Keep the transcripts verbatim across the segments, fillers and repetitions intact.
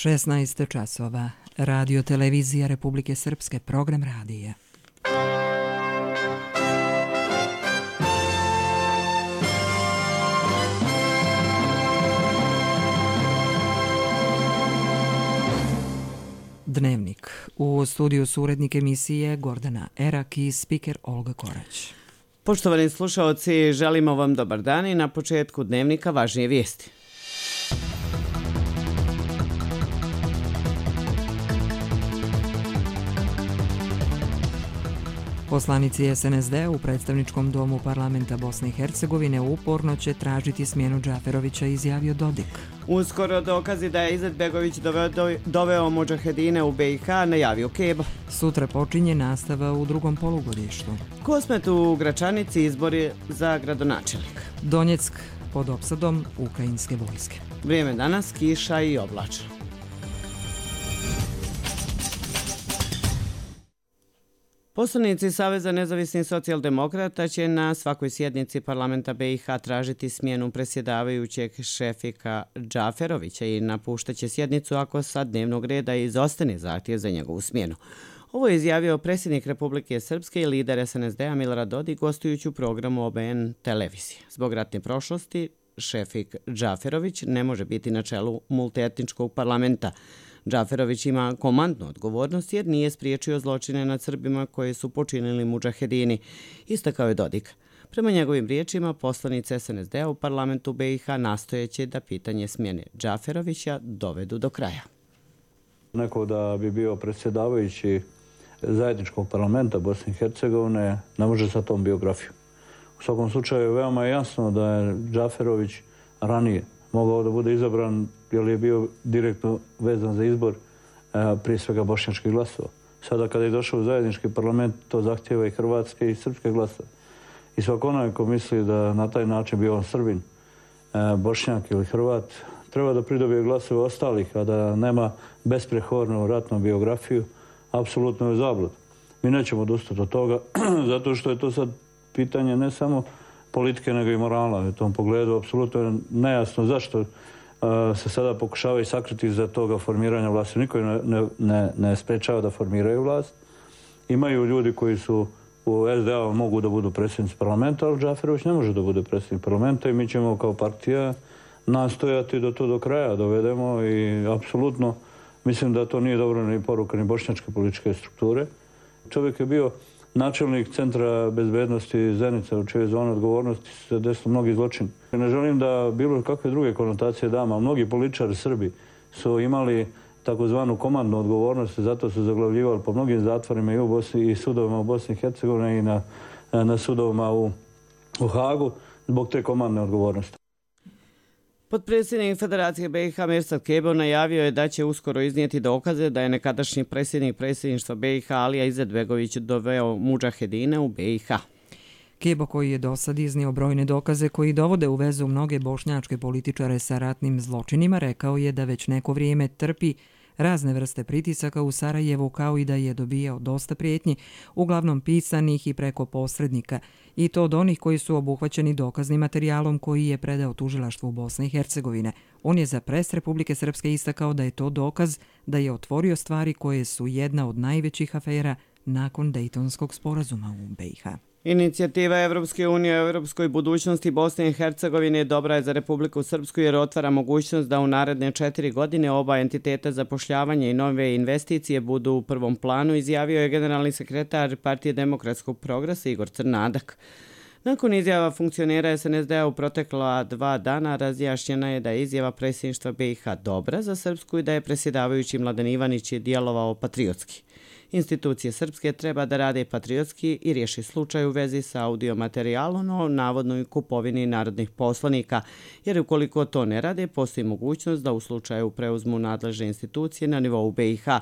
šesnaest časova. Radio televizija Republike Srpske, program radija. Dnevnik. U studiju su urednik emisije Gordana Erak i spiker Olga Korać. Poštovani slušaoci, želimo vam dobar dan i na početku dnevnika važnije vijesti. Poslanici es en es de u predstavničkom domu parlamenta Bosne i Hercegovine uporno će tražiti smjenu Džaferovića, izjavio Dodik. Uskoro dokazi da je Izetbegović doveo, doveo mudžahedine u be i ha, najavio Kebo. Sutra počinje nastava u drugom polugodištu. Kosmet u Gračanici, izbori za gradonačelnika. Donjeck pod opsadom ukrajinske vojske. Vrijeme danas, kiša i oblačno. Poslanici Saveza nezavisnih socijaldemokrata će na svakoj sjednici parlamenta be i ha tražiti smjenu predsjedavajućeg Šefika Džaferovića i napuštaće sjednicu ako sa dnevnog reda izostane zahtjev za njegovu smjenu. Ovo je izjavio predsjednik Republike Srpske i lider es en es de-a Milorad Dodik gostujući u programu o be en televizije. Zbog ratne prošlosti, Šefik Džaferović ne može biti na čelu multietničkog parlamenta. Džaferović ima komandnu odgovornost jer nije spriječio zločine nad Srbima koje su počinili mudžahedini, istakao je Dodik. Prema njegovim riječima, poslanici es en es de-a u parlamentu be i ha nastojeće da pitanje smjene Džaferovića dovedu do kraja. Neko da bi bio predsjedavajući zajedničkog parlamenta Bosne i Hercegovine ne može sa tom biografijom. U svakom slučaju veoma je jasno da je Džaferović ranije mogao da bude izabran jer je bio direktno vezan za izbor prije svega bošnjačkih glasova. Sada kada je došao u zajednički parlament, to zahtjeva i hrvatske i srpske glasove. I svako onaj ko misli da na taj način bio on Srbin, Bošnjak ili Hrvat, treba da pridobije glasove ostalih, a da nema besprehodnu ratnu biografiju, apsolutno je zablud. Mi nećemo odustati od toga, zato što je to sad pitanje ne samo politike, nego i morala. U tom pogledu apsolutno je nejasno zašto se sada pokušavaju sakriti za toga formiranja vlasti. Niko ne, ne, ne sprečava da formiraju vlast. Imaju ljudi koji su u es de a mogu da budu predsjednici parlamenta, ali Džaferović ne može da bude predsjednik parlamenta i mi ćemo kao partija nastojati da to do kraja dovedemo i apsolutno mislim da to nije dobro ni poruka ni bošnjačke političke strukture. Čovjek je bio načelnik Centra bezbednosti Zenica, u čijoj zoni odgovornosti se desilo mnogi zločini. Ne želim da bilo kakve druge konotacije dam, a mnogi političari Srbi su imali takozvanu komandnu odgovornost, zato su zaglavljivali po mnogim zatvorima i u Bosni i sudovima u Bosni i Hercegovini i na, na sudovima u, u Hagu zbog te komandne odgovornosti. Potpredsjednik Federacije be i ha Mirsad Kebo najavio je da će uskoro iznijeti dokaze da je nekadašnji predsjednik predsjedništva be i ha Alija Izetbegović doveo mudžahedine u be i ha. Kebo, koji je do sad iznio brojne dokaze koji dovode u vezu mnoge bošnjačke političare sa ratnim zločinima, rekao je da već neko vrijeme trpi razne vrste pritisaka u Sarajevu, kao i da je dobijao dosta prijetnji, uglavnom pisanih i preko posrednika, i to od onih koji su obuhvaćeni dokaznim materijalom koji je predao tužilaštvu Bosne i Hercegovine. On je za pres Republike Srpske istakao da je to dokaz da je otvorio stvari koje su jedna od najvećih afera nakon Dejtonskog sporazuma u be i ha. Inicijativa Evropske unije o europskoj budućnosti Bosne i Hercegovine dobra je za Republiku Srpsku jer otvara mogućnost da u naredne četiri godine oba entiteta zapošljavanja i nove investicije budu u prvom planu, izjavio je generalni sekretar Partije demokratskog progresa Igor Crnadak. Nakon izjava funkcionera es en es de-a u protekla dva dana razjašnjena je da je izjava predsjedništva be i ha dobra za Srpsku i da je predsjedavajući Mladen Ivanić je djelovao patriotski. Institucije srpske treba da rade patriotski i riješi slučaj u vezi sa audiomaterijalom o navodnoj kupovini narodnih poslanika, jer ukoliko to ne rade, postoji mogućnost da u slučaju preuzmu nadležne institucije na nivou be i ha,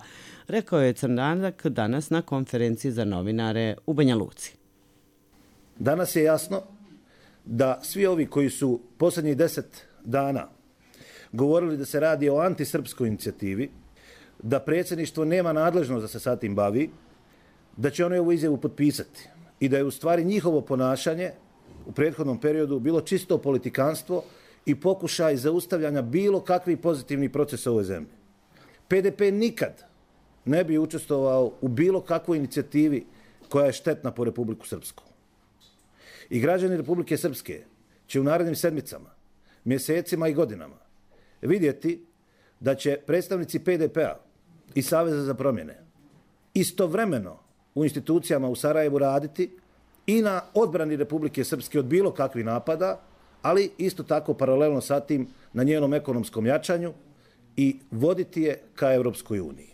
rekao je Crnadak danas na konferenciji za novinare u Banja Luci. Danas je jasno da svi ovi koji su posljednjih deset dana govorili da se radi o antisrpskoj inicijativi, da predsjedništvo nema nadležnost da se sa tim bavi, da će oni ovu izjavu potpisati i da je u stvari njihovo ponašanje u prethodnom periodu bilo čisto politikanstvo i pokušaj zaustavljanja bilo kakvih pozitivnih procesa u ovoj zemlji. P D P nikad ne bi učestvovao u bilo kakvoj inicijativi koja je štetna po Republiku Srpsku. I građani Republike Srpske će u narednim sedmicama, mjesecima i godinama vidjeti da će predstavnici P D P-a i Saveza za promjene istovremeno u institucijama u Sarajevu raditi i na odbrani Republike Srpske od bilo kakvih napada, ali isto tako paralelno sa tim na njenom ekonomskom jačanju i voditi je ka Europskoj uniji.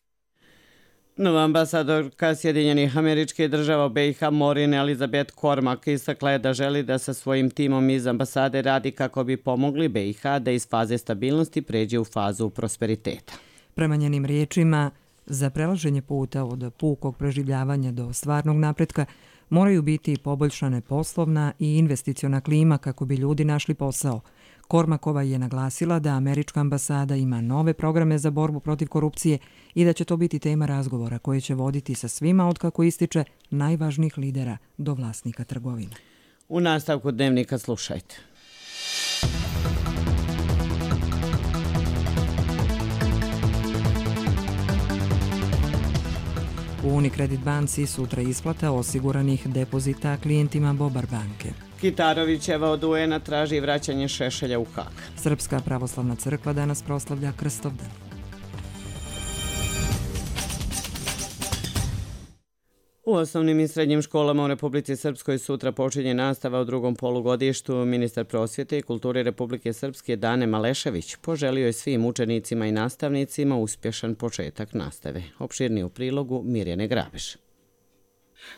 Nova ambasadorka Sjedinjenih Američkih Država u B i H Maureen Elizabeth Cormack istakla je da želi da sa svojim timom iz ambasade radi kako bi pomogli B i H da iz faze stabilnosti pređe u fazu prosperiteta. Prema njenim riječima, za prelaženje puta od pukog preživljavanja do stvarnog napretka moraju biti poboljšane poslovna i investiciona klima kako bi ljudi našli posao. Kormakova je naglasila da američka ambasada ima nove programe za borbu protiv korupcije i da će to biti tema razgovora koje će voditi sa svima od kako ističe najvažnijih lidera do vlasnika trgovine. U nastavku dnevnika slušajte. U Unicredit banci sutra isplata osiguranih depozita klijentima Bobar banke. Kitarovićeva od U N-a traži vraćanje Šešelja u Hag. Srpska pravoslavna crkva danas proslavlja Krstovdan. U osnovnim i srednjim školama u Republici Srpskoj sutra počinje nastava u drugom polugodištu. Ministar prosvjete i kulture Republike Srpske Dane Malešević poželio je svim učenicima i nastavnicima uspješan početak nastave. Opširnije u prilogu Mirjane Grabeš.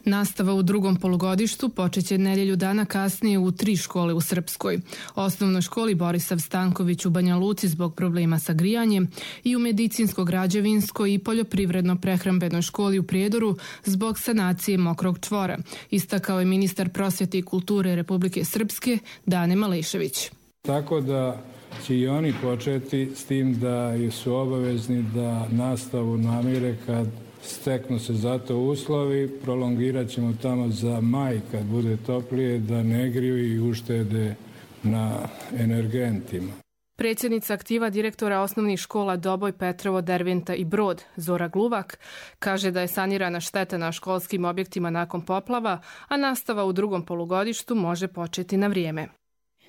Nastava u drugom polugodištu počeće nedjelju dana kasnije u tri škole u Srpskoj. Osnovnoj školi Borisav Stanković u Banja Luci zbog problema sa grijanjem i u medicinsko-građevinskoj i poljoprivredno-prehrambenoj školi u Prijedoru zbog sanacije mokrog čvora, istakao je ministar prosvjete i kulture Republike Srpske Dane Malešević. Tako da će i oni početi s tim da su obavezni da nastavu namire kad steknu se za to uslovi, prolongirat ćemo tamo za maj kad bude toplije da ne griju i uštede na energentima. Predsjednica aktiva direktora osnovnih škola Doboj, Petrovo, Derventa i Brod, Zora Gluvak, kaže da je sanirana šteta na školskim objektima nakon poplava, a nastava u drugom polugodištu može početi na vrijeme.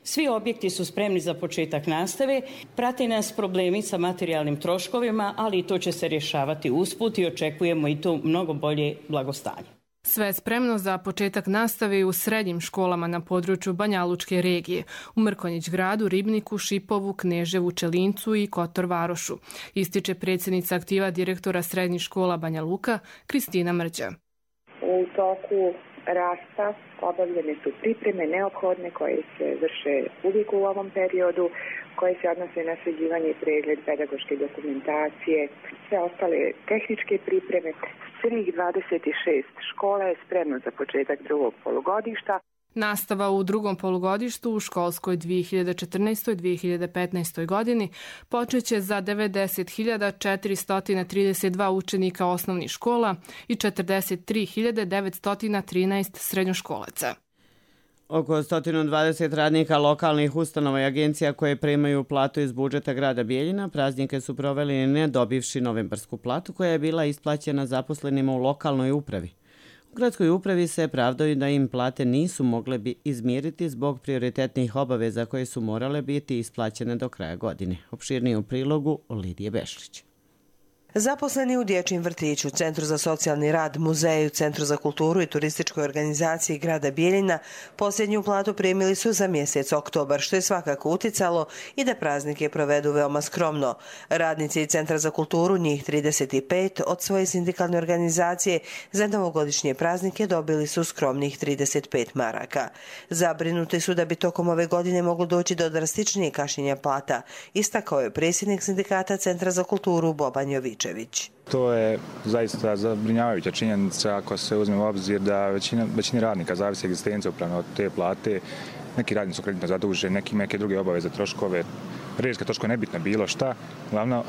Svi objekti su spremni za početak nastave, prate nas problemi sa materijalnim troškovima, ali i to će se rješavati usput i očekujemo i to mnogo bolje blagostanje. Sve je spremno za početak nastave u srednjim školama na području Banjalučke regije, u Mrkonjić gradu, Ribniku, Šipovu, Kneževu, Čelincu i Kotor Varošu, ističe predsjednica aktiva direktora srednjih škola Banja Luka, Kristina Mrđa. U toku rasta obavljene su pripreme neophodne koje se vrše uvijek u ovom periodu, koje se odnose na sređivanje i pregled pedagoške dokumentacije, sve ostale tehničke pripreme. Svih dvadeset šest škola je spremno za početak drugog polugodišta. Nastava u drugom polugodištu u školskoj dvije hiljade četrnaestoj dvije hiljade petnaestoj godini počeće za devedeset hiljada četiristo trideset dva učenika osnovnih škola i četrdeset tri hiljade devetsto trinaest srednjoškolaca. Oko sto dvadeset radnika lokalnih ustanova i agencija koje primaju platu iz budžeta grada Bijeljina praznike su proveli ne dobivši novembarsku platu koja je bila isplaćena zaposlenima u lokalnoj upravi. U gradskoj upravi se pravdaju da im plate nisu mogle bi izmiriti zbog prioritetnih obaveza koje su morale biti isplaćene do kraja godine. Opširnije u prilogu Lidije Bešlić. Zaposleni u dječjem vrtiću, Centru za socijalni rad, muzeju, Centru za kulturu i turističkoj organizaciji grada Bijeljina posljednju platu primili su za mjesec oktobar, što je svakako uticalo i da praznike provedu veoma skromno. Radnici Centra za kulturu, njih trideset pet, od svoje sindikalne organizacije za novogodišnje praznike dobili su skromnih trideset pet maraka. Zabrinuti su da bi tokom ove godine moglo doći do drastičnijeg kašnjenja plata, istakao je predsjednik sindikata Centra za kulturu Boban Jović. To je zaista zabrinjavajuća činjenica ako se uzme u obzir da većina, većini radnika zavisi egzistencija upravo od te plate. Neki radnici su kreditno zaduženi, neki neke druge obaveze, troškove, režijske troškove, nebitno bilo šta. Glavno,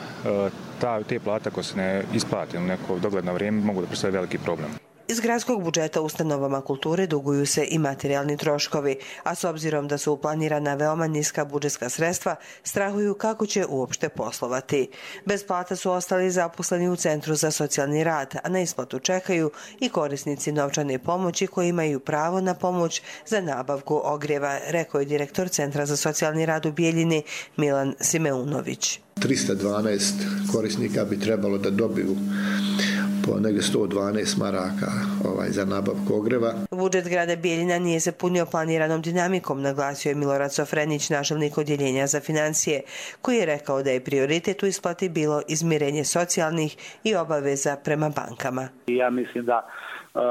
ta, te plate ako se ne isplate u neko dogledno vrijeme mogu da predstavljaju veliki problem. Iz gradskog budžeta ustanovama kulture duguju se i materijalni troškovi, a s obzirom da su planirana veoma niska budžetska sredstva, strahuju kako će uopšte poslovati. Bez plata su ostali zaposleni u Centru za socijalni rad, a na isplatu čekaju i korisnici novčane pomoći koji imaju pravo na pomoć za nabavku ogrijeva, rekao je direktor Centra za socijalni rad u Bijeljini Milan Simeunović. trista dvanaest korisnika bi trebalo da dobiju po negdje sto dvanaest maraka ovaj, za nabavku ogreva. Budžet grada Bijeljina nije se punio planiranom dinamikom, naglasio je Milorad Sofrenić, načelnik odjeljenja za financije, koji je rekao da je prioritet u isplati bilo izmirenje socijalnih i obaveza prema bankama. Ja mislim da uh,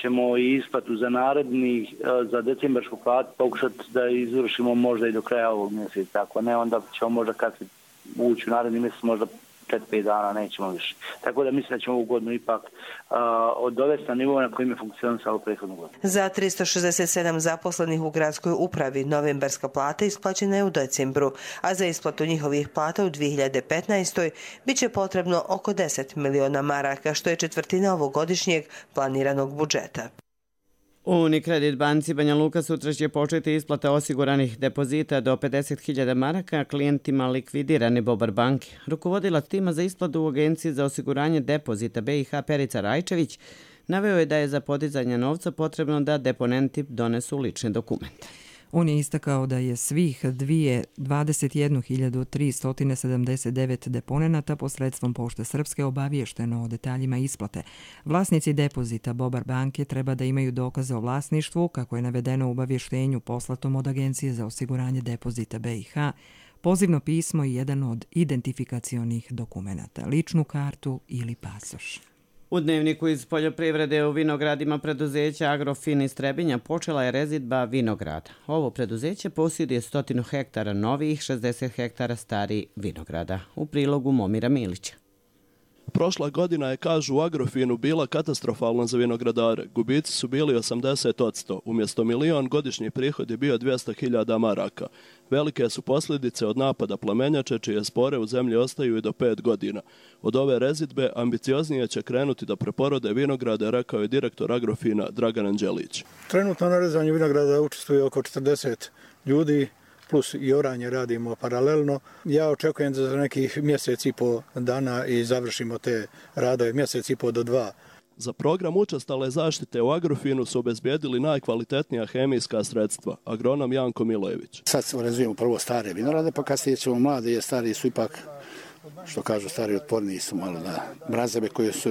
ćemo i isplatu za narednih, uh, za decembarsku platu pokušati da izvršimo možda i do kraja ovog mjeseca. Ako ne, onda ćemo možda kad se ući u naredni mjesec možda četiri pet dana, nećemo više. Tako da mislim da ćemo ovu godinu ipak uh, odovesti na nivo na kojim je funkcionisalo prethodnu godinu. Za tristo šezdeset sedam zaposlenih u gradskoj upravi novembarska plata isplaćena je u decembru, a za isplatu njihovih plata u dvije hiljade petnaestoj bit će potrebno oko deset miliona maraka, što je četvrtina ovogodišnjeg planiranog budžeta. U Unikredit banci Banja Luka sutra će početi isplata osiguranih depozita do pedeset hiljada maraka klijentima likvidirane Bobar banke. Rukovodilac tima za isplatu u Agenciji za osiguranje depozita B i H Perica Rajčević naveo je da je za podizanje novca potrebno da deponenti donesu lične dokumente. On je istakao da je svih dvadeset jednu hiljadu tristo sedamdeset devet deponenata posredstvom Pošte Srpske obaviješteno o detaljima isplate. Vlasnici depozita Bobar banke treba da imaju dokaze o vlasništvu, kako je navedeno u obavještenju poslatom od Agencije za osiguranje depozita B i H, pozivno pismo i jedan od identifikacionih dokumenata, ličnu kartu ili pasoš. U dnevniku iz poljoprivrede u vinogradima preduzeća Agrofin iz Trebinja počela je rezidba vinograda. Ovo preduzeće posjeduje stotinu hektara novih, šezdeset hektara starih vinograda. U prilogu Momira Milića. Prošla godina je, kažu u Agrofinu, bila katastrofalna za vinogradare. Gubici su bili osamdeset posto. Umjesto milion godišnji prihod je bio dvjesto hiljada maraka. Velike su posljedice od napada plamenjače, čije spore u zemlji ostaju i do pet godina. Od ove rezidbe ambicioznije će krenuti da preporode vinograde, rekao je direktor Agrofina Dragan Anđelić. Trenutno na rezanju vinograda učestvuje oko četrdeset ljudi, plus i oranje radimo paralelno. Ja očekujem da za nekih mjesec i po dana i završimo te radove, mjesec i po do dva. Za program učestale zaštite u Agrofinu su obezbijedili najkvalitetnija hemijska sredstva, agronom Janko Milojević. Sad rezujemo prvo stare vinograde, pa kasnije ćemo mlade, jer stari su ipak, što kažu, stari otporniji su malo na mrazeve koje su,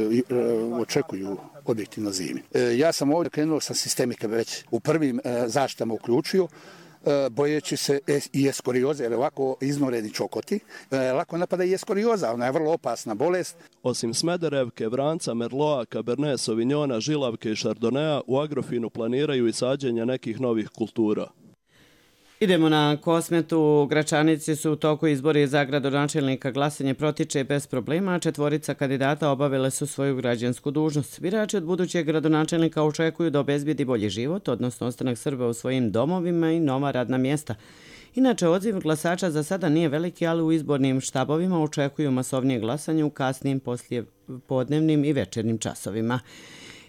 očekuju objektivno zimi. Ja sam ovdje krenuo sa sistemike već u prvim zaštitama uključio, bojeći se i eskorioze, jer ovako iznoreni čokoti, lako napada i eskorioza, ona je vrlo opasna bolest. Osim Smederevke, Vranca, Merloa, Cabernet Sauvignona, Žilavke i Chardonnaya, u Agrofinu planiraju i sađenje nekih novih kultura. Idemo na Kosmetu. U Gračanici su u toku izbori za gradonačelnika. Glasanje protiče bez problema, a četvorica kandidata obavile su svoju građansku dužnost. Birači od budućeg gradonačelnika očekuju da obezbijedi bolji život, odnosno ostanak Srba u svojim domovima i nova radna mjesta. Inače, odziv glasača za sada nije veliki, ali u izbornim štabovima očekuju masovnije glasanje u kasnijim poslijepodnevnim i večernjim časovima.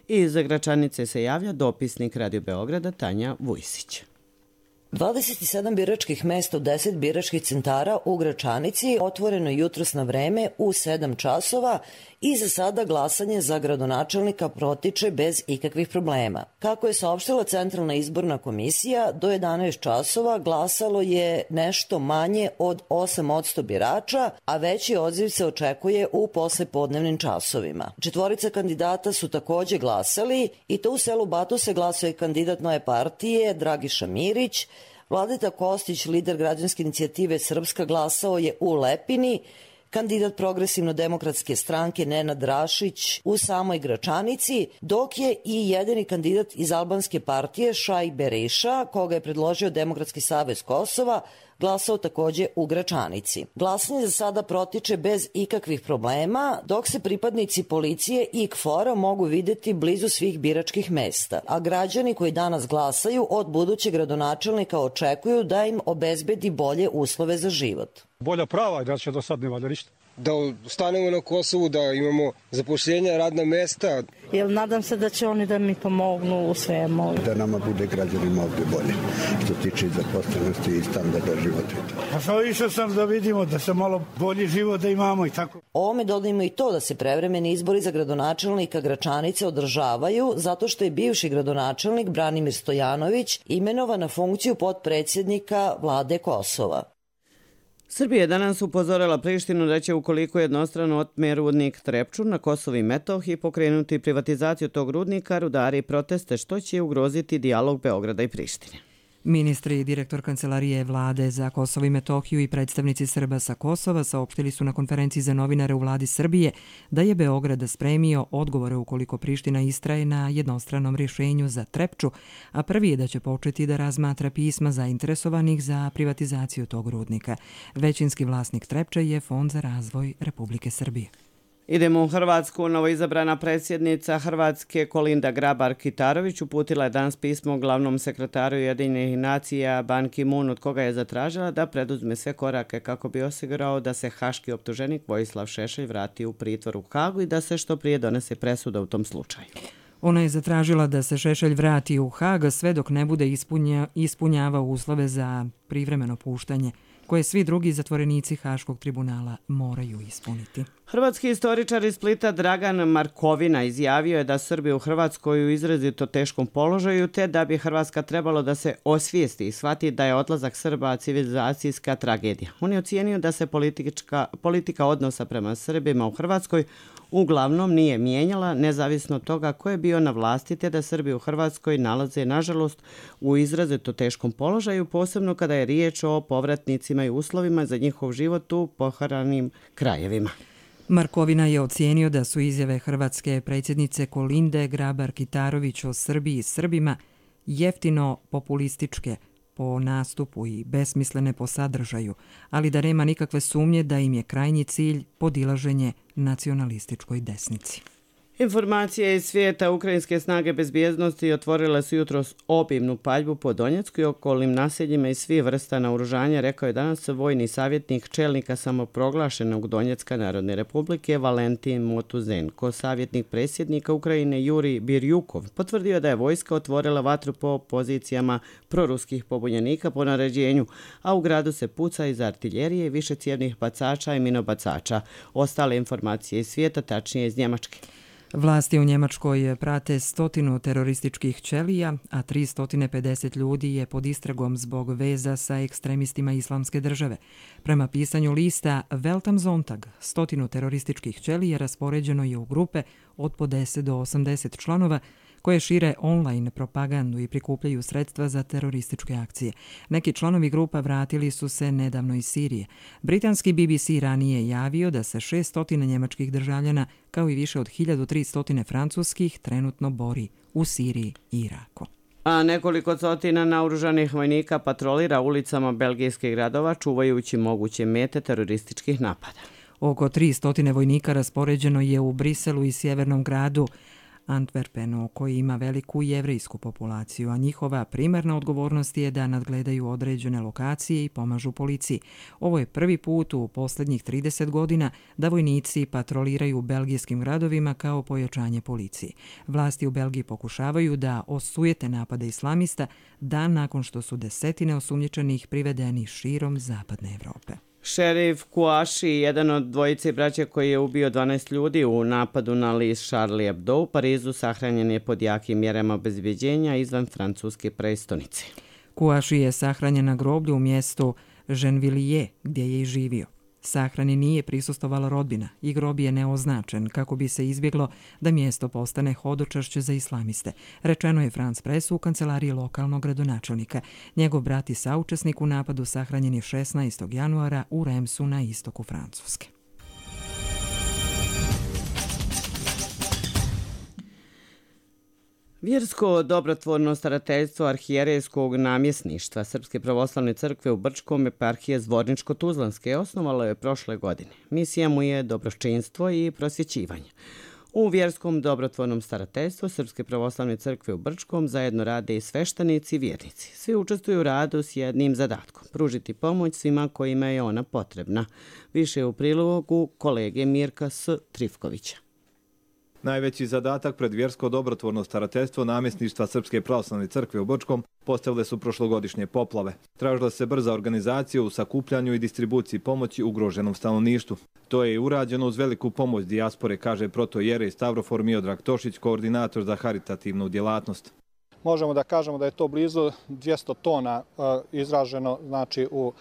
Iz Gračanice se javlja dopisnik Radio Beograda Tanja Vujsić. dvadeset sedam biračkih mesta u deset biračkih centara u Gračanici otvoreno jutros na vreme u sedam časova i za sada glasanje za gradonačelnika protiče bez ikakvih problema. Kako je saopštila Centralna izborna komisija, do jedanaest časova glasalo je nešto manje od osam posto birača, a veći odziv se očekuje u poslepodnevnim časovima. Četvorica kandidata su takođe glasali i to u selu Batuse glasuje kandidat Nove partije Dragiša Mirić, Vladeta Kostić, lider građanske inicijative Srpska, glasao je u Lepini, kandidat Progresivno-demokratske stranke Nenad Rašić u samoj Gračanici, dok je i jedini kandidat iz albanske partije Šaj Bereša, koga je predložio Demokratski savez Kosova, glasao takođe u Gračanici. Glasanje za sada protiče bez ikakvih problema, dok se pripadnici policije i K F O R-a mogu videti blizu svih biračkih mesta, a građani koji danas glasaju od budućeg gradonačelnika očekuju da im obezbedi bolje uslove za život. Bolja prava i da će do sad ne valja ništa. da stanemo na Kosovu, da imamo zapošljenja, radna mesta. Jel nadam se da će oni da mi pomognu u svemu. Da nama bude građanima ovdje bolje, što tiče zaposlenosti i standarda života. Pa što išao sam da vidimo da se malo bolji život da imamo i tako. Ovome dodajmo i to da se prevremeni izbori za gradonačelnika Gračanice održavaju zato što je bivši gradonačelnik Branimir Stojanović imenovan na funkciju potpredsjednika vlade Kosova. Srbija je danas upozorila Prištinu da će ukoliko jednostrano otme rudnik Trepču na Kosovu i Metohiji pokrenuti privatizaciju tog rudnika, rudari i proteste, što će ugroziti dijalog Beograda i Prištine. Ministri i direktor Kancelarije vlade za Kosovo i Metohiju i predstavnici Srba sa Kosova saopštili su na konferenciji za novinare u vladi Srbije da je Beograd spremio odgovore ukoliko Priština istraje na jednostranom rješenju za Trepču, a prvi je da će početi da razmatra pisma zainteresovanih za privatizaciju tog rudnika. Većinski vlasnik Trepče je Fond za razvoj Republike Srbije. Idemo u Hrvatsku. Novoizabrana predsjednica Hrvatske Kolinda Grabar-Kitarović uputila je danas pismo glavnom sekretaru Ujedinjenih nacija Ban Ki-moon, od koga je zatražila da preduzme sve korake kako bi osigurao da se haški optuženik Vojislav Šešelj vrati u pritvor u Hagu i da se što prije donese presuda u tom slučaju. Ona je zatražila da se Šešelj vrati u Hag sve dok ne bude ispunja, ispunjavao uslove za privremeno puštanje, koje svi drugi zatvorenici Haškog tribunala moraju ispuniti. Hrvatski istoričar iz Splita Dragan Markovina izjavio je da Srbi u Hrvatskoj u izrazito teškom položaju, te da bi Hrvatska trebalo da se osvijesti i shvati da je odlazak Srba civilizacijska tragedija. On je ocijenio da se politička, politika odnosa prema Srbima u Hrvatskoj uglavnom nije mijenjala, nezavisno od toga ko je bio na vlasti, te da Srbi u Hrvatskoj nalaze, nažalost, u izrazito teškom položaju, posebno kada je riječ o povratnicima i uslovima za njihov život u poharanim krajevima. Markovina je ocijenio da su izjave hrvatske predsjednice Kolinde Grabar-Kitarović o Srbiji i Srbima jeftino populističke po nastupu i besmislene po sadržaju, ali da nema nikakve sumnje da im je krajnji cilj podilaženje nacionalističkoj desnici. Informacije iz svijeta. Ukrajinske snage bezbjednosti otvorile su jutros obimnu paljbu po Donjecku i okolnim naseljima i svih vrsta naoružanja, rekao je danas vojni savjetnik čelnika samoproglašenog Donjecka Narodne republike Valentin Motuzenko. Savjetnik predsjednika Ukrajine Juri Birjukov potvrdio da je vojska otvorila vatru po pozicijama proruskih pobunjenika po naređenju, a u gradu se puca iz artiljerije, višecijevnih bacača i minobacača. Ostale informacije iz svijeta, tačnije iz Njemačke. Vlasti u Njemačkoj prate stotinu terorističkih ćelija, a tristo pedeset ljudi je pod istragom zbog veza sa ekstremistima Islamske države. Prema pisanju lista Welt am Sonntag, stotinu terorističkih ćelija raspoređeno je u grupe od po deset do osamdeset članova, koje šire online propagandu i prikupljaju sredstva za terorističke akcije. Neki članovi grupa vratili su se nedavno iz Sirije. Britanski B B C ranije javio da se šessto njemačkih državljana, kao i više od hiljadu tristo francuskih, trenutno bori u Siriji i Iraku. A nekoliko stotina naoružanih vojnika patrolira ulicama belgijskih gradova, čuvajući moguće mete terorističkih napada. Oko tristo vojnika raspoređeno je u Briselu i sjevernom gradu Antwerpenu, koji ima veliku jevrejsku populaciju, a njihova primarna odgovornost je da nadgledaju određene lokacije i pomažu policiji. Ovo je prvi put u posljednjih trideset godina da vojnici patroliraju u belgijskim gradovima kao pojačanje policije. Vlasti u Belgiji pokušavaju da osujete napade islamista dan nakon što su desetine osumnjičenih privedeni širom zapadne Evrope. Šerif Kouachi, jedan od dvojice braće koji je ubio dvanaest ljudi u napadu na list Charlie Hebdo u Parizu, sahranjen je pod jakim mjerama obezbeđenja izvan francuske prestonice. Kouachi je sahranjen na groblju u mjestu Gennevilliers, gdje je i živio. Sahrani nije prisustovala rodbina i grob je neoznačen kako bi se izbjeglo da mjesto postane hodočašće za islamiste, rečeno je France Pressu u kancelariji lokalnog gradonačelnika. Njegov brat i saučesnik u napadu sahranjen je šesnaestog januara u Remsu na istoku Francuske. Vjersko dobrotvorno starateljstvo arhijerejskog namjesništva Srpske pravoslavne crkve u Brčkom eparhije Zvorničko-Tuzlanske osnovalo je prošle godine. Misija mu je dobročinstvo i prosvjećivanje. U vjerskom dobrotvornom starateljstvu Srpske pravoslavne crkve u Brčkom zajedno rade i sveštenici i vjernici. Svi učestvuju u radu s jednim zadatkom – pružiti pomoć svima kojima je ona potrebna. Više u prilogu kolege Mirka S. Trifkovića. Najveći zadatak pred vjersko dobrotvorno starateljstvo namjesništva Srpske pravoslavne crkve u Brčkom postavile su prošlogodišnje poplave. Tražila se brza organizacija u sakupljanju i distribuciji pomoći ugroženom stanovništvu. To je i urađeno uz veliku pomoć dijaspore, kaže protojerej Stavrofor Miodrag Tošić, koordinator za haritativnu djelatnost. Možemo da kažemo da je to blizu dvjesto tona izraženo, znači u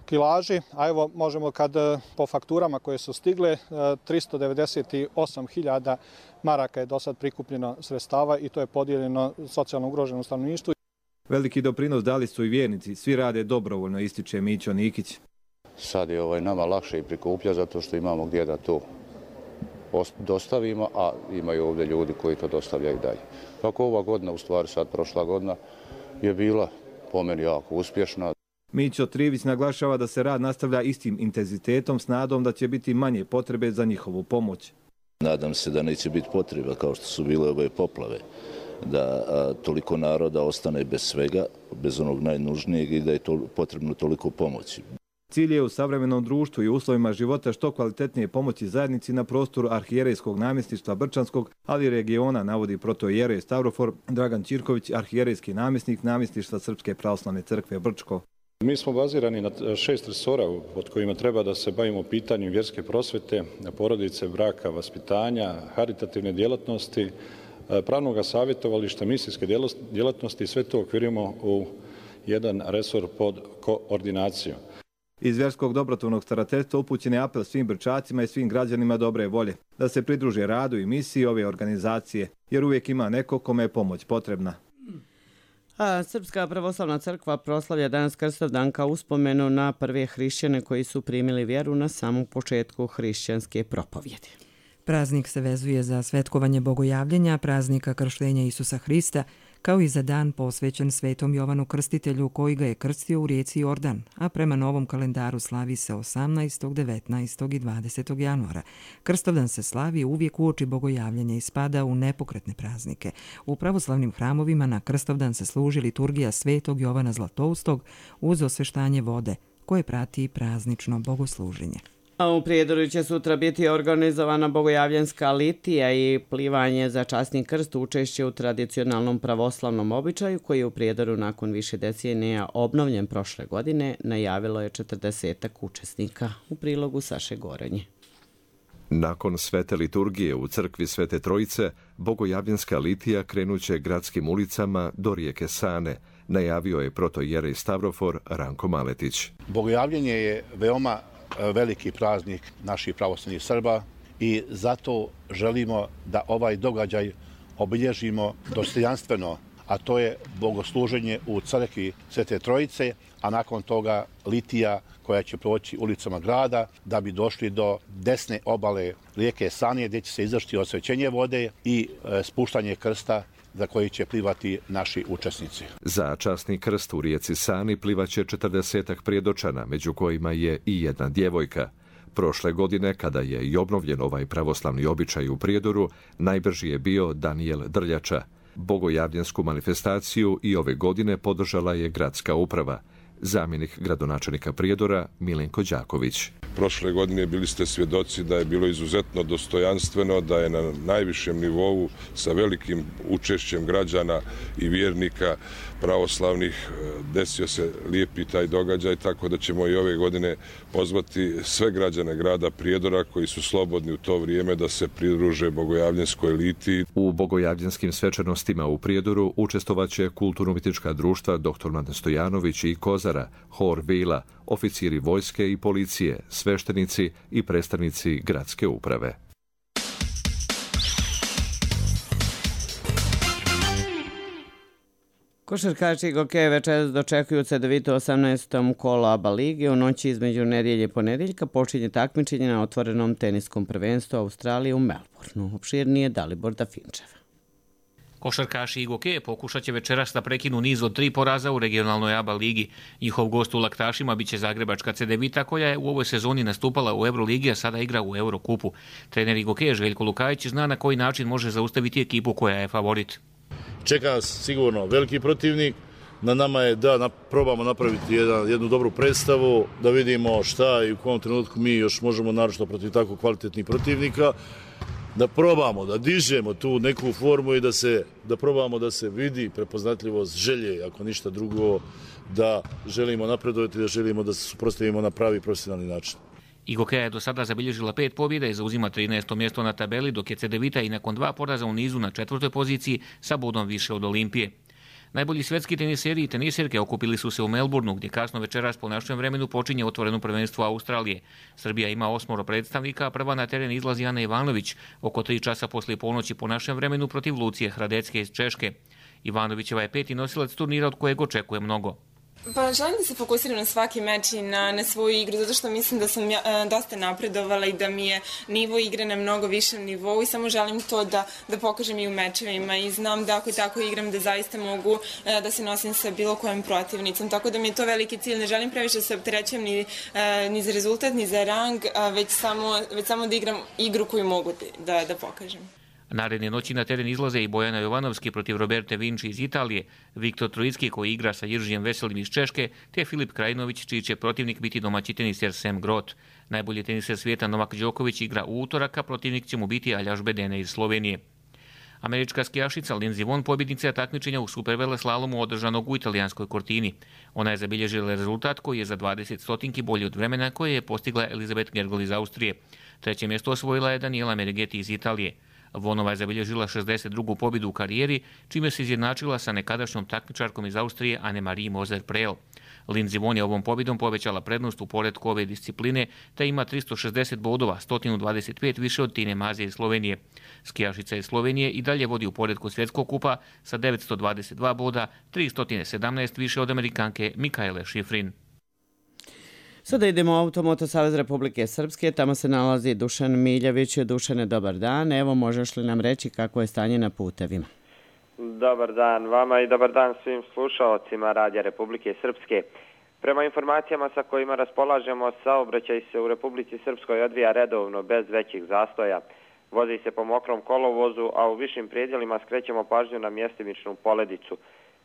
kilaži, a evo možemo kad po fakturama koje su stigle, tristo devedeset osam hiljada maraka je do sad prikupljeno sredstava i to je podijeljeno socijalno ugroženom stanovništvu. Veliki doprinos dali su i vjernici, svi rade dobrovoljno, ističe Mićo Nikić. Sad je ovaj nama lakše i prikuplja zato što imamo gdje da to dostavimo, a imaju ovdje ljudi koji to dostavljaju dalje. Kako ova godina, u stvari sad prošla godina, je bila po meni jako uspješna. Mićo Trivić naglašava da se rad nastavlja istim intenzitetom s nadom da će biti manje potrebe za njihovu pomoć. Nadam se da neće biti potreba kao što su bile ove poplave, da a, toliko naroda ostane bez svega, bez onog najnužnijeg i da je to potrebno toliko pomoći. Cilj je u savremenom društvu i uslovima života što kvalitetnije pomoći zajednici na prostoru arhijerejskog namjesništva Brčanskog, ali i regiona, navodi protojerej Stavrofor Dragan Ćirković, arhijerejski namjesnik namjesništva Srpske pravoslavne crkve Brčko. Mi smo bazirani na šest resora pod kojima treba da se bavimo pitanjem vjerske prosvete, porodice, braka, vaspitanja, haritativne djelatnosti, pravnog savjetovališta, misijske djelatnosti i sve to okvirimo u jedan resor pod koordinacijom. Iz vjerskog dobrotvornog starateljstva upućen je apel svim Brčacima i svim građanima dobre volje da se pridruže radu i misiji ove organizacije, jer uvijek ima neko kome je pomoć potrebna. A Srpska pravoslavna crkva proslavlja danas Krstovdan kao uspomenu na prve hrišćane koji su primili vjeru na samom početku hrišćanske propovjedi. Praznik se vezuje za svetkovanje bogojavljenja, praznika krštenja Isusa Hrista, kao i za dan posvećen Svetom Jovanu Krstitelju koji ga je krstio u rijeci Jordan, a prema novom kalendaru slavi se osamnaestog, devetnaestog i dvadesetog januara. Krstovdan se slavi uvijek uoči bogojavljenja i spada u nepokretne praznike. U pravoslavnim hramovima na Krstovdan se služi liturgija Svetog Jovana Zlatoustog uz osveštanje vode, koje prati praznično bogosluženje. A u Prijedoru će sutra biti organizovana bogojavljanska litija i plivanje za časni krst, učešće u tradicionalnom pravoslavnom običaju koji je u Prijedoru nakon više decenija obnovljen prošle godine, najavilo je četrdesetak učesnika. U prilogu Saše Gorenje. Nakon svete liturgije u crkvi Svete Trojice, bogojavljanska litija krenuće gradskim ulicama do rijeke Sane, najavio je protojerej Stavrofor Ranko Maletić. Bogojavljenje je veoma veliki praznik naših pravoslavnih Srba i zato želimo da ovaj događaj obilježimo dostojanstveno, a to je bogosluženje u crkvi Svete Trojice, a nakon toga litija koja će proći ulicama grada da bi došli do desne obale rijeke Sane gdje će se izvršiti osvećenje vode i spuštanje krsta za koji će plivati naši učesnici. Za časni krst u rijeci Sani plivaće četrdesetak prijedočana, među kojima je i jedna djevojka. Prošle godine, kada je i obnovljen ovaj pravoslavni običaj u Prijedoru, najbrži je bio Danijel Drljača. Bogojavljansku manifestaciju i ove godine podržala je gradska uprava. Zamjenik gradonačelnika Prijedora Milenko Đaković. Prošle godine bili ste svjedoci da je bilo izuzetno dostojanstveno, da je na najvišem nivou sa velikim učešćem građana i vjernika pravoslavnih desio se lijepi taj događaj, tako da ćemo i ove godine pozvati sve građane grada Prijedora koji su slobodni u to vrijeme da se pridruže bogojavljanskoj litiji. U bogojavljanskim svečanostima u Prijedoru učestvovaće kulturno-umjetnička društva doktor Mladen Stojanović i Kozara, hor Vila, oficiri vojske i policije, sveštenici i predstavnici gradske uprave. Košarkaši Gokeja večeras dočekuju cedovito osamnaestom kolo A B A lige. U noći između nedjelje i ponedjeljka počinje takmičenje na otvorenom teniskom prvenstvu Australije u Melbourneu. Opširnije Dalibor Dafinčev. Košarkaši Igoke pokušat će večeras da prekinu niz od tri poraza u regionalnoj A B A ligi. Njihov gost u Laktašima biće zagrebačka Cedevita koja je u ovoj sezoni nastupala u Euroligi, a sada igra u Eurokupu. Trener Igoke Željko Lukajić zna na koji način može zaustaviti ekipu koja je favorit. Čeka nas sigurno veliki protivnik. Na nama je da probamo napraviti jedan, jednu dobru predstavu, da vidimo šta i u kom trenutku mi još možemo naročito protiv tako kvalitetnih protivnika. Da probamo, da dižemo tu neku formu i da se, da probamo da se vidi prepoznatljivost želje, ako ništa drugo, da želimo napredovati, da želimo da se suprotstavimo na pravi profesionalni način. Igoke je do sada zabilježila pet pobjeda i zauzima trinaesto mjesto na tabeli, dok je Cedevita i nakon dva poraza u nizu na četvrtoj poziciji sa bodom više od Olimpije. Najbolji svjetski teniseri i teniserke okupili su se u Melbourneu, gdje kasno večeras po našem vremenu počinje otvoreno prvenstvo Australije. Srbija ima osmoro predstavnika, a prva na teren izlazi Ana Ivanović, oko tri časa poslije ponoći po našem vremenu protiv Lucije Hradecke iz Češke. Ivanovićeva je peti nosilac turnira od kojeg očekuje mnogo. Pa želim da se fokusiram na svaki meč i na, na svoju igru, zato što mislim da sam ja, dosta napredovala i da mi je nivo igre na mnogo višem nivou i samo želim to da, da pokažem i u mečevima i znam da ako tako igram da zaista mogu da se nosim sa bilo kojom protivnicom, tako da mi je to veliki cilj. Ne želim previše se opterećujem ni, ni za rezultat, ni za rang, već samo, već samo da igram igru koju mogu da, da pokažem. Naredne noći na teren izlaze i Bojana Jovanovski protiv Roberte Vinci iz Italije, Viktor Trojicki koji igra sa Jiržijem Veselim iz Češke, te Filip Krajinović čiji će protivnik biti domaći teniser Sam Groth. Najbolji teniser svijeta Novak Đoković igra u utorak, a protivnik će mu biti Aljaž Bedene iz Slovenije. Američka skijašica Lindsey Vonn pobjednica je takmičenja u superveleslalomu održanog u italijanskoj Cortini. Ona je zabilježila rezultat koji je za dvadeset stotinki bolji od vremena koje je postigla Elizabeth Gergel iz Austrije. Treće mjesto osvojila je Daniela Meregeti iz Italije. Vonova je zabilježila šezdeset drugu pobjedu u karijeri, čime se izjednačila sa nekadašnjom takmičarkom iz Austrije Annemarie Moser-Prel. Lindsey Vonn je ovom pobjedom povećala prednost u poretku ove discipline, te ima tristo šezdeset bodova, sto dvadeset pet više od Tine Maze iz Slovenije. Skijašica iz Slovenije i dalje vodi u poretku svjetskog kupa sa devetsto dvadeset dva boda, tristo sedamnaest više od Amerikanke Mikaele Šifrin. Sada idemo u Automoto Savez Republike Srpske, tamo se nalazi Dušan Miljević. Dušane, dobar dan. Evo, možeš li nam reći kako je stanje na putevima? Dobar dan vama i dobar dan svim slušalcima Radija Republike Srpske. Prema informacijama sa kojima raspolažemo, saobraćaj se u Republici Srpskoj odvija redovno bez većih zastoja. Vozi se po mokrom kolovozu, a u višim predjelima skrećemo pažnju na mjestimičnu poledicu.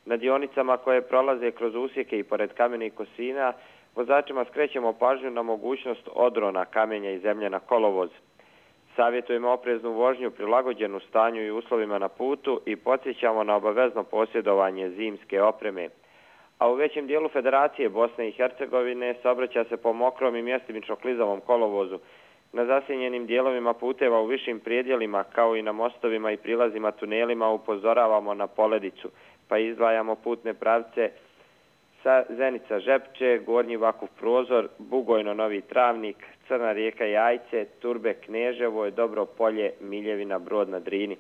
Na dionicama koje prolaze kroz usjeke i pored kamenih kosina, vozačima skrećemo pažnju na mogućnost odrona kamenja i zemlje na kolovoz. Savjetujemo opreznu vožnju prilagođenu stanju i uslovima na putu i podsjećamo na obavezno posjedovanje zimske opreme. A u većem dijelu Federacije Bosne i Hercegovine saobraća se po mokrom i mjestimično klizavom kolovozu. Na zasjenjenim dijelovima puteva u višim predjelima kao i na mostovima i prilazima tunelima upozoravamo na poledicu, pa izdvajamo putne pravce sa Zenica Žepče, Gornji Vakuf Prozor, Bugojno Novi Travnik, Crna rijeka Jajce, Turbe Kneževo, Dobro Polje, Miljevina Brod na Drini.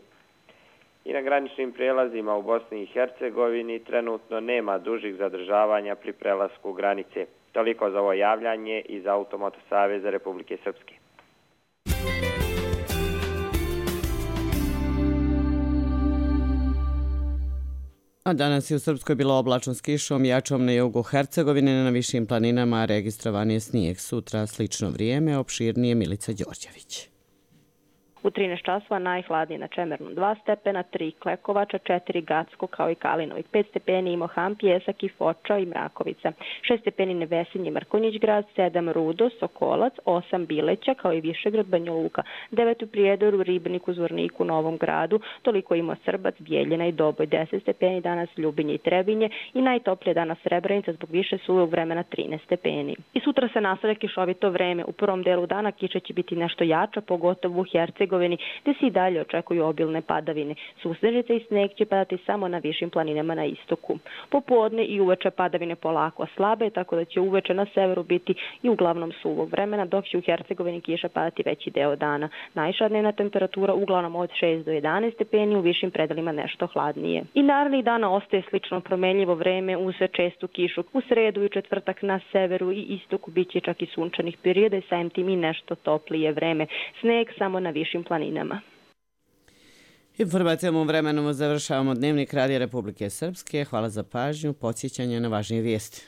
I na graničnim prelazima u Bosni i Hercegovini trenutno nema dužih zadržavanja pri prelasku granice. Toliko za ovo javljanje iz Automoto Saveza Republike Srpske. A danas je u Srpskoj bilo oblačno s kišom, jačom na jugu Hercegovine, na višim planinama registrovan je snijeg. Sutra slično vrijeme, opširnije Milica Đorđević. U trinaest časova najhladnije na Čemernu dva stepena, tri Klekovača, četiri Gacko kao i Kalinovik, pet stepeni Imohan, Pjesak i Foča i Mrakovica, šest stepeni Nevesinje, Mrkonjić grad, sedam Rudo, Sokolac, osam Bileća kao i Višegrad, Banja Luka, devet u Prijedoru, Ribniku, Zvorniku, Novom gradu, toliko ima Srbac, Bijeljina i Doboj, deset stepeni danas Ljubinje i Trebinje i najtoplije danas Srebrenica zbog više suvog vremena trinaest stepeni. I sutra se nastavlja kišovito vreme. U prvom delu dana kiša će biti nešto jača, pogotovo u Hercegovini, gdje se i dalje očekuju obilne padavine. Susnežice i sneg će padati samo na višim planinama na istoku. Popodne i uveče padavine polako slabe, tako da će uveče na severu biti i uglavnom suvog vremena, dok će u Hercegovini kiša padati veći deo dana. Najviša dnevna temperatura uglavnom od šest do jedanaest stepeni, u višim predelima nešto hladnije. I narednih dana ostaje slično promenljivo vreme uz čestu kišu. U sredu i četvrtak na severu i istoku bit će čak i sunčanih perioda i samim tim i nešto toplije vreme. Sneg samo na višim planinama. Informacijama o vremenu završavamo Dnevnik Radija Republike Srpske. Hvala za pažnju, podsjećanje na važnije vijesti.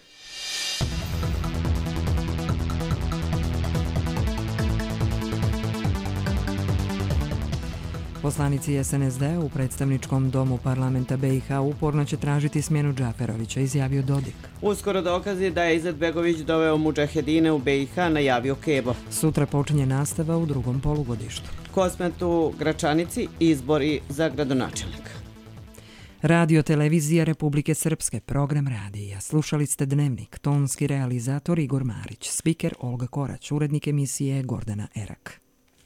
Poslanici es en es de u predstavničkom domu parlamenta be i ha uporno će tražiti smjenu Džaferovića, izjavio Dodik. Uskoro dokazi da je Izetbegović doveo mudžahedine u be i ha, najavio Kebo. Sutra počinje nastava u drugom polugodištu. Kosmet u Gračanici, izbori za gradonačelnika. Radio Televizija Republike Srpske, program radija. Slušali ste Dnevnik, tonski realizator Igor Marić, spiker Olga Korać, urednik emisije Gordana Erak.